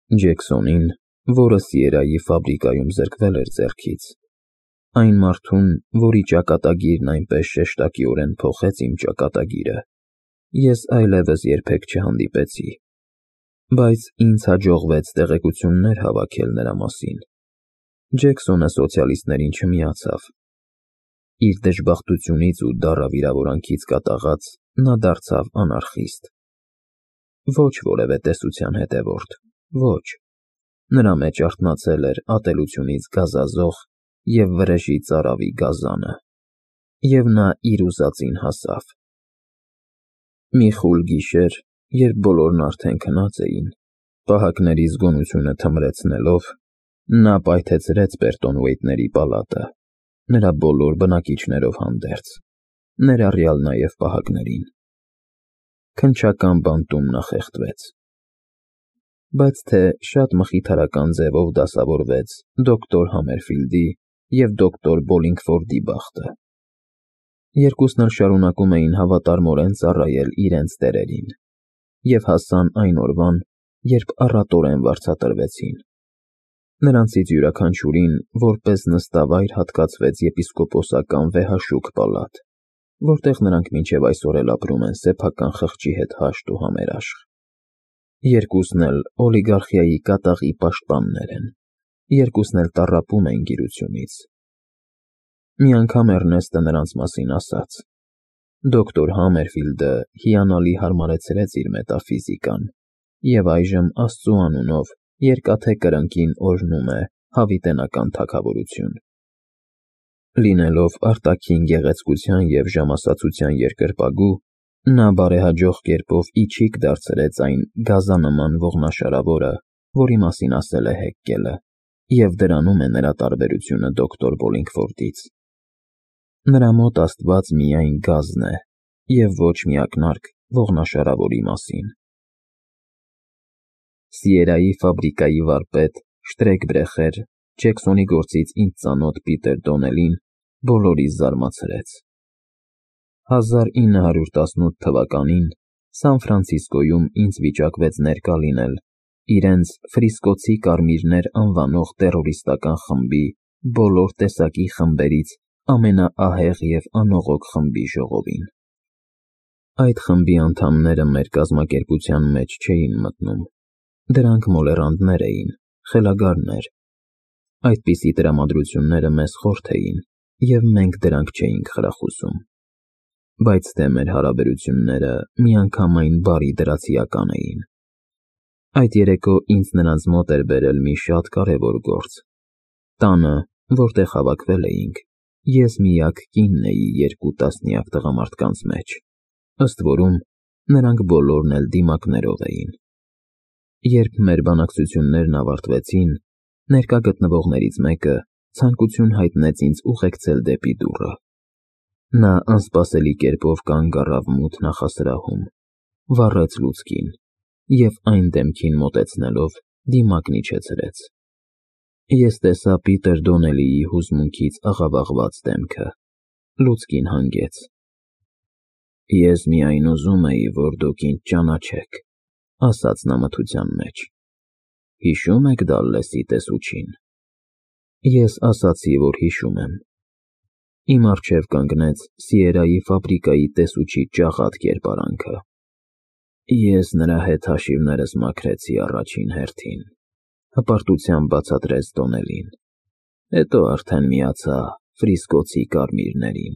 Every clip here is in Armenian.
Ջեքսոնին, որը Սիերայի ֆաբրիկայում զրկվել էր ձեռքից, այն մարդուն, որի ճակատագիրն այնպես շեշտակիորեն փոխեց իմ ճակատագիրը, ես այլևս երբեք չհանդիպեցի, բայց ինձ հաջողվեց տեղեկություններ հավաքել նրա մասին։ Ջեքսոնը սոցիալիստներին չմիացավ։ Իր դժբախտությունից ու դառը վիրավորանքից կատաղած նա դարձավ անարխիստ։ Ոչ որևէ տեսության հետևորդ, ոչ։ Նրա մեջ արթնացել էր ատելությունից գազազող և վրեժի ծարավի գազանը, և նա իր ուզածին հասավ։ Մի խուլ գիշեր, երբ բոլորն արդեն քնած էին, պահակների զգոնությունը թմրեցնելով, նա պայթեցրեց Բերտոնվեյթների պալատը, նրա բոլոր բնակիչներով հանդերձ, ներառյալ նաև պահակներին։ Քննչական բանտում նա խեղդվեց։ Բայց թե շատ մխիթարական ձևով դասավորվեց դոկտոր Համերֆիլդի և դոկտոր Բոլինգֆորդի բախտը։ Երկուսն էլ շարունակում էին հավատարմորեն ծառայել իրենց տերերին և հասան այն օրվան, երբ առատորեն վարձատրվեցին։ Նրանցից յուրաքանչյուրին որպես նստավայր հատկացվեց եպիսկոպոսական վեհաշուք պալատ, որտեղ նրանք մինչև այսօր էլ ապրում են սեփական խղճի հետ հաշտ ու համերաշխ։ Երկուսն էլ օլիգարխիայի կատաղի պաշտպաններ են, երկուսն էլ տառապում են գիրությունից։ Մի անգամ Էռնեստը նրանց մասին ասաց. «Դոկտոր Համերֆիլդը հիանալի հարմարեցրեց իր մետաֆիզիկան և այժմ Աստծու անունով Երկաթե Կրնկին օրհնում է հավիտենական թագավորություն»։ Լինելով արտաքին գեղեցկության և ժամասացության երկրպագու, նա բարեհաջող կերպով իչիք դարձրեց այն գազանման ողնաշարավորը, որի մասին ասել է Հեկկելը, և դրանում է նրա տարբերությունը դոկտոր Բոլինգֆորդից։ Նրա մոտ Աստված միայն գազն է և ոչ մի ակնարկ ողնաշարավորի մասին։ Սիերայի ֆաբրիկայի վարպետ, Շտրեկբրեխեր, Ջեքսոնի գործից ինձ ծանոթ Պիտեր Դոնելին բոլորիս զարմացրեց։ 1918 թվականին Սան Ֆրանցիսկոյում ինձ վիճակվեց ներկա լինել իրենց «Ֆրիսկոցի կարմիրներ» անվանող տեռորիստական խմբի բոլոր տեսակի խմբերից ամենաահեղ և անողոք խմբի ժողովին։ Այդ խմբի անդամները մեր կազմակերպության մեջ չէին մտնում, դրանք մոլեռանդներ էին, խելագարներ։ Այդպիսի տրամադրությունները մեզ խորթ էին, և մենք դրանք չէինք խրախուսում։ Բայց թե մեր հարաբերությունները միանգամայն բարի դրացիական էին։ Այդ երեկո ինձ նրանց մոտ էր բերել մի շատ կարևոր գործ։ Տանը, որտեղ հավաքվել էինք, ես միակ կինն էի 2 տասնյակ տղամարդկանց մեջ, ըստ որում նրանք բոլորն էլ դիմակներով էին։ Երբ մեր բանակցություններն ավարտվեցին, ներկա գտնվողներից մեկը ցանկություն հայտնեց ինձ ուղեկցել դեպի դուռը։ Նա անսպասելի կերպով կանգ առավ մութ նախասրահում, վառեց լուցկին և այն դեմքին մոտեցնելով դիմակն իջեցրեց։ Ես տեսա Պիտեր Դոնելիի հուզմունքից աղավաղված դեմքը, լուցկին հանգեց։ «Ես միայն ուզում էի, որ դուք ինձ ճանաչեք», ասաց նա մթության մեջ։ «Հիշո՞ւմ եք Դալլեսի տեսուչին»։ Ես ասացի, որ հիշում եմ։ Իմ առջև կանգնեց Սիերայի ֆաբրիկայի տեսուչի ճաղատ կերպարանքը։ Ես նրա հետ հաշիվներս մաքրեցի առաջին հերթին, հպարտությամբ բացատրեց Դոնելին, հետո արդեն միացա Ֆրիսկոցի կարմիրներին։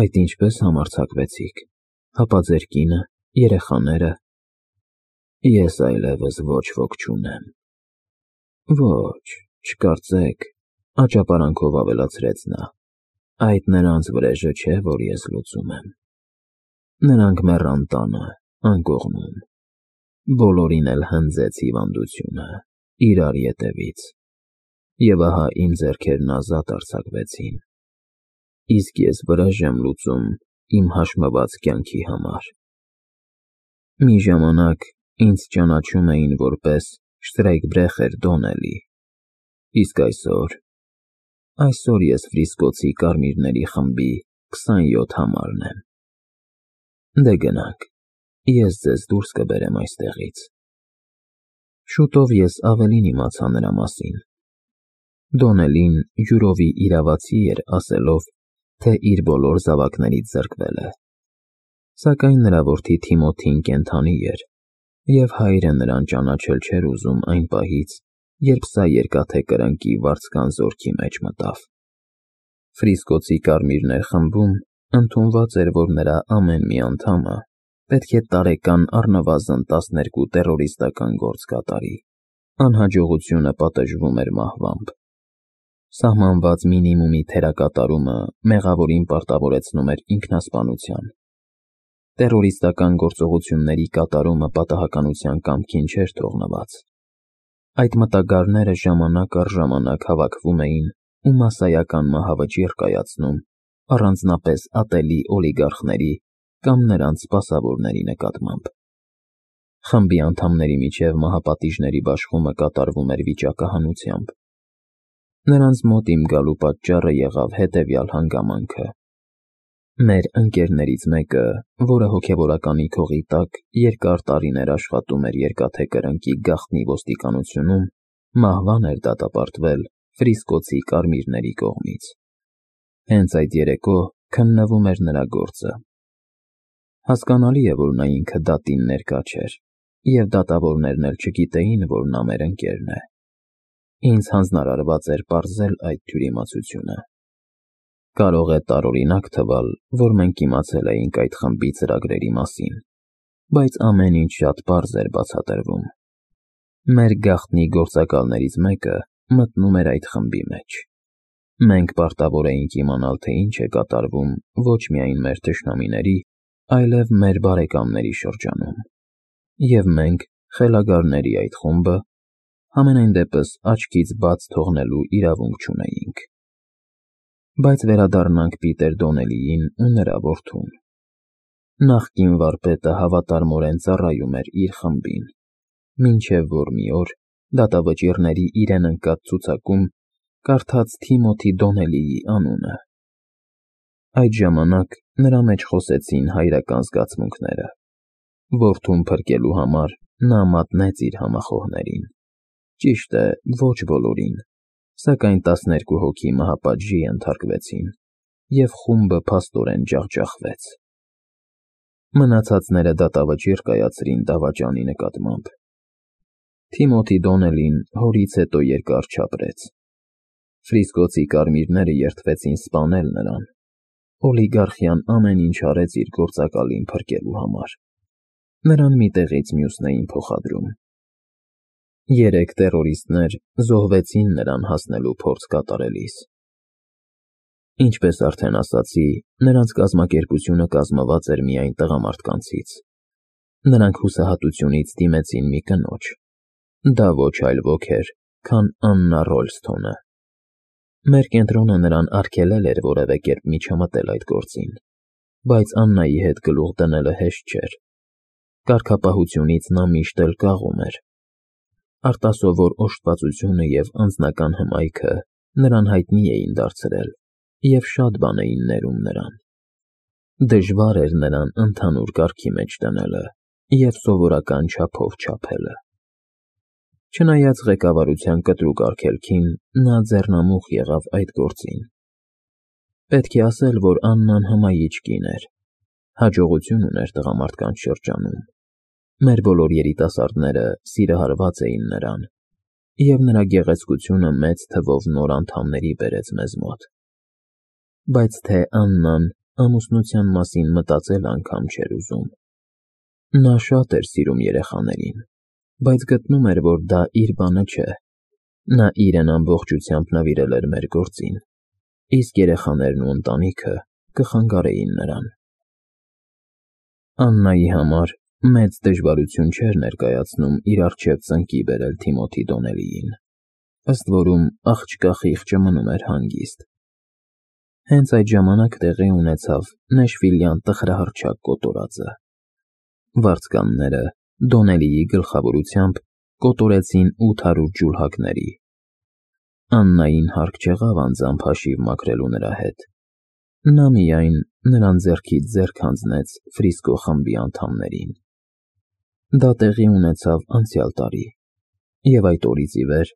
Այդ ինչպես համարձակվեցիք, հապա ձեր կինը, երեխաները։ Ես այլևս ոչ ոք չունեմ։ Ոչ, չկարծեք, աճապարանքով ավելացրեց նա, այդ նրանց վրեժը չէ, որ ես լուծում եմ։ Նրանք մեռան տանը, անկողնում, բոլորին էլ հնձեց հիվանդությունը, իրար ետևից, և ահա իմ ձեռքերն ազատ արձակվեցին, իսկ ես վրեժ եմ լուծում իմ հաշմված կյանքի համար։ Մի ժամանակ ինձ ճանաչում էին որպես Շտրեյկբրեխեր Դոնելի, իսկ այսօր ես Ֆրիսկոցի կարմիրների խմբի 27 համարն եմ։ Դե գնանք, ես ձեզ դուրս կբերեմ այստեղից։ Շուտով ես ավելին իմացա նրա մասին։ Դոնելին յուրովի իրավացի էր ասելով, թե իր բոլոր զավակներից զրկվել է։ Սակայն նրա որդի Թիմոթին կենդանի էր, և հայրը նրան ճանաչել չէր ուզում այն պահից, երբ սա երկաթե կրնկի վարձկան զորքի մեջ մտավ։ Ֆրիսկոցի Կարմիրներ խմբում ընդունված էր, որ նրա ամեն մի անդամը պետք է տարեկան առնվազն 12 տեռորիստական գործ կատարի։ Անհաջողությունը պատժվում էր մահվամբ։ Սահմանված մինիմումի թերակատարումը մեղավորին պարտավորեցնում էր ինքնասպանության։ Տեռորիստական գործողությունների կատարումը պատահականության կամքին չէր թողնված։ Այդ մտագարները ժամանակ առ ժամանակ հավաքվում էին ու մասսայական մահավճիռ կայացնում առանձնապես ատելի օլիգարխների կամ նրանց սպասավորների նկատմամբ։ Խմբի անդամների միջև մահապատիժների բաշխումը կատարվում էր վիճակահանությամբ։ Նրանց մոտ իմ գալու պատճառը եղավ հետևյալ հանգամանքը. մեր ընկերներից մեկը, որը հոգևորականի քողի տակ երկար տարիներ աշխատում էր երկաթե կրնկի գաղտնի ոստիկանությունում, մահվան էր դատապարտվել Ֆրիսկոցի Կարմիրների կողմից։ Հենց այդ երեկո քննվում էր նրա գործը։ Հասկանալի է, որ նա ինքը դատին ներկա չէր, և դատավորներն էլ չգիտեին, որ նա մեր ընկերն է։ Ինձ հանձնարարված էր պարզել այդ թյուրիմացությունը։ Կարող է տարօրինակ թվալ, որ մենք իմացել էինք այդ խմբի ծրագրերի մասին, բայց ամեն ինչ շատ պարզ էր բացատրվում։ Մեր գաղտնի գործակալներից մեկը մտնում էր այդ խմբի մեջ։ Մենք պարտավոր էինք իմանալ, թե ինչ է կատարվում ոչ միայն մեր թշնամիների, այլև մեր բարեկամների շրջանում։ Եվ մենք, խելագարների այդ խումբը, համենայն դեպս աչքից բաց թողնելու իրավունք չունեինք։ Բայց վերադառնանք Պիտեր Դոնելիին ու նրա որդուն։ Նախկին վարպետը հավատարմորեն ծառայում էր իր խմբին, մինչև որ մի օր դատավճիռների իրեն ընկած ցուցակում կարդաց Թիմոթի Դոնելիի անունը։ Այդ ժամանակ նրա մեջ խոսեցին հայրական զգացմունքները։ Որդուն փրկելու համար նա մատնեց իր համախոհներին։ Ճիշտ է, ոչ բոլորին, սակայն 12 հոգի մահապատժի ենթարկվեցին, և խումբը փաստորեն ջախջախվեց։ Մնացածները դատավճիռ կայացրին դավաճանի նկատմամբ։ Թիմոթի Դոնելին հորից հետո երկար չապրեց։ Ֆրիսկոցի Կարմիրները երդվեցին սպանել նրան։ Օլիգարխիան ամեն ինչ արեց իր գործակալին փրկելու համար։ Նրան մի տեղից մյուսն էին փոխադրում։ 3 տեռորիստներ զոհվեցին նրան հասնելու փորձ կատարելիս։ Ինչպես արդեն ասացի, նրանց կազմակերպությունը կազմված էր միայն տղամարդկանցից։ Նրանք հուսահատությունից դիմեցին մի կնոջ։ Դա ոչ այլ ոք էր, քան Աննա Ռոլսթոնը։ Մեր կենտրոնը նրան արգելել էր որևէ կերպ միջամտել այդ գործին, բայց Աննայի հետ գլուխ դնելը հեշտ չէր։ Կարգապահությունից նա միշտ էլ կաղում էր։ Արտասովոր օժտվածությունը և անձնական հմայքը նրան հայտնի էին դարձրել և շատ բան էին ներում նրան։ Դժվար էր նրան ընդհանուր կարգի մեջ դնելը և սովորական չափով չափելը։ Չնայած ղեկավարության կտրուկ արգելքին, նա ձեռնամուխ եղավ այդ գործին։ Պետք է ասել, որ Աննան հմայիչ կին էր, հաջողություն ուներ տղամարդկանց շրջանում։ Մեր բոլոր երիտասարդները սիրահարված էին նրան, և նրա գեղեցկությունը մեծ թվով նոր անդամների բերեց մեզ մոտ։ Բայց թե Աննան ամուսնության մասին մտածել անգամ չէր ուզում։ Նա շատ էր սիրում երեխաներին, բայց գտնում էր, որ դա իր բանը չէ։ Նա իրեն ամբողջությամբ նվիրել էր մեր գործին, իսկ երեխաներն ու ընտանիքը կխանգարեին նրան։ Աննայի համար մեծ դժվարություն չէր ներկայացնում իր առջև ծնկի բերել Թիմոթի Դոնելիին, ըստ որում աղջկա խիղճը մնում էր հանգիստ։ Հենց այդ ժամանակ տեղի ունեցավ Նեշվիլյան տխրահռչակ կոտորածը։ Վարձկանները Դոնելիի գլխավորությամբ կոտորեցին 800 ջուլհակների։ Աննային հարկ չեղավ անձամբ հաշիվ մաքրելու նրա հետ։ Նա միայն նրան ձեռքից ձեռք հանձնեց Ֆրիսկո խմբի անդամներին։ Դա տեղի ունեցավ անցյալ տարի, Եվ այդ օրից ի վեր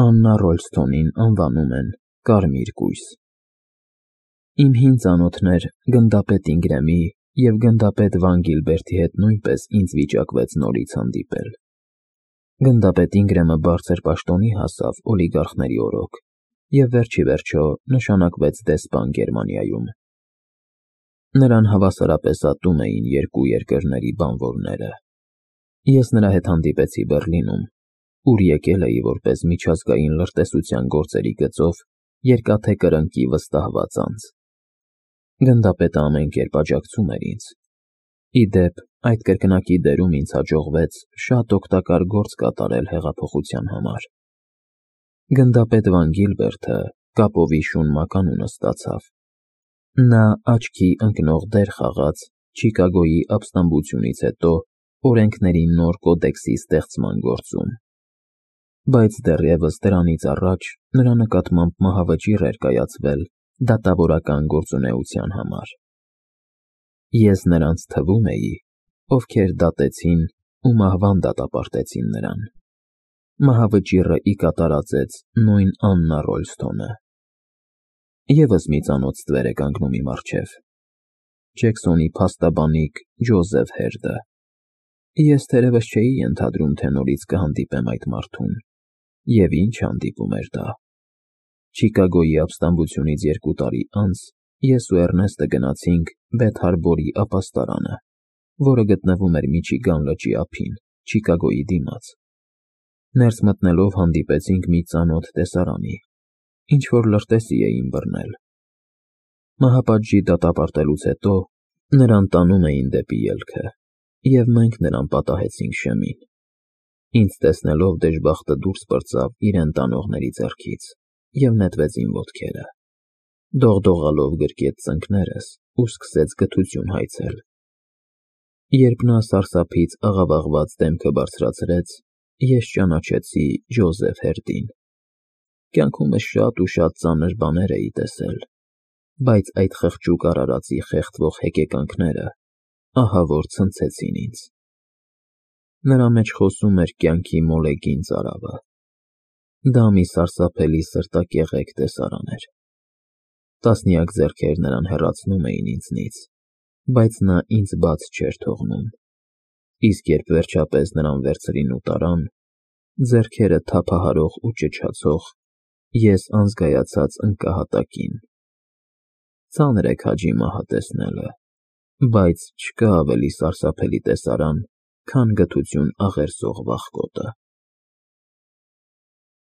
Աննա Ռոլսթոնին անվանում են Կարմիր կույս։ Իմ հին ծանոթներ գնդապետ Ինգրեմի և գնդապետ Վան Գիլբերտի հետ նույնպես ինձ վիճակվեց նորից հանդիպել։ Գնդապետ Ինգրեմը բարձր պաշտոնի հասավ օլիգարխների օրոք և վերջիվերջո նշանակվեց դեսպան Գերմանիայում։ Նրան հավասարապես ատում էին երկու երկրների բանվորները։ Ես նրա հետ հանդիպեցի Բեռլինում, ուր եկել էի որպես միջազգային լրտեսության գործերի գծով Երկաթե Կրնկի վստահված անձ։ Գնդապետը ամեն կերպ աջակցում էր ինձ։ Ի դեպ, այդ կրկնակի դերում ինձ հաջողվեց շատ օգտակար գործ կատարել հեղափոխության համար։ Գնդապետ Վան Գիլբերտը կապովի շուն մականունը ստացավ։ Նա աչքի ընկնող դեր խաղաց Չիկագոյի ապստամբությունից հետո օրենքների նոր կոդեքսի ստեղծման գործում։ Բայց դեռևս դրանից առաջ նրա նկատմամբ մահավճիռ էր կայացվել դատավորական գործունեության համար։ Ես նրանց թվում էի, ովքեր դատեցին ու մահվան դատապարտեցին նրան։ Մահավճիռը ի կատարածեց նույն Աննա Ռոլսթոնը։ Եվս մի ծանոթ ստվեր է կանգնում իմ առջև։ Ջեքսոնի փաստաբանիկ Ջոզեֆ Հերդը։ Ես թերևս չէի ենթադրում, թե նորից կհանդիպեմ այդ մարդուն։ Եվ ինչ հանդիպում էր դա։ Չիկագոյի ապստամբությունից 2 տարի անց ես ու Էռնեստը գնացինք Բեթ Հարբորի ապաստարանը, որը գտնվում էր Միչիգան լճի ափին, Չիկագոյի դիմաց։ Ներս մտնելով հանդիպեցինք մի ծանոթ տեսարանի, ինչ-որ լրտեսի էին բռնել։ Մահապատժի դատապարտելուց հետո նրան տանում էին դեպի ելքը, և մենք նրան պատահեցինք շեմին։ Ինձ տեսնելով դժբախտը դուրս պրծավ իրեն տանողների ձեռքից և նետվեց իմ ոտքերը։ Դողդողալով գրկեց ծնկներս ու սկսեց գթություն հայցել։ Երբ նա սարսափից աղավաղված դեմքը բարձրացրեց, ես ճանաչեցի Ջոզեֆ Հերդին։ Կյանքումս շատ ու շատ ծանր բաներ էի տեսել, բայց այդ խղճուկ արարածի խեղդվող հեկեկանքները ահա որ ցնցեցին ինձ։ Նրա մեջ խոսում էր կյանքի մոլեգին ծարավը։ Դա մի սարսափելի սրտակեղեկ տեսարան էր։ Տասնյակ ձեռքեր նրան հեռացնում էին ինձնից, բայց նա ինձ բաց չէր թողնում։ Իսկ երբ վերջապես նրան վերցրին ու տարան, ձեռքերը թափահարող ու ճչացող, ես անզգայացած ընկա հատակին։ Ծանր է քաջի մահը տեսնելը, բայց չկա ավելի սարսափելի տեսարան, քան գթություն աղերսող վախկոտը։